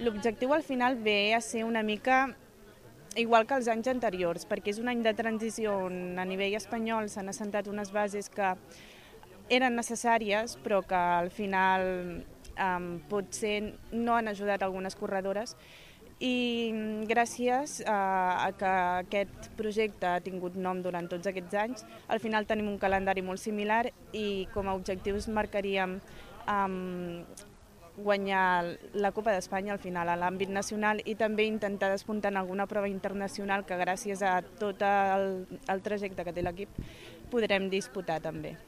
L'objectiu al final ve a ser una mica igual que els anys anteriors, perquè és un any de transició on a nivell espanyol s'han assentat unes bases que eren necessàries però que al final potser no han ajudat algunes corredores, i gràcies a que aquest projecte ha tingut nom durant tots aquests anys, al final tenim un calendari molt similar i com a objectius marcaríem guanyar la Copa d'Espanya al final a l'àmbit nacional i també intentar despuntar en alguna prova internacional que gràcies a tot el trajecte que té l'equip podrem disputar també.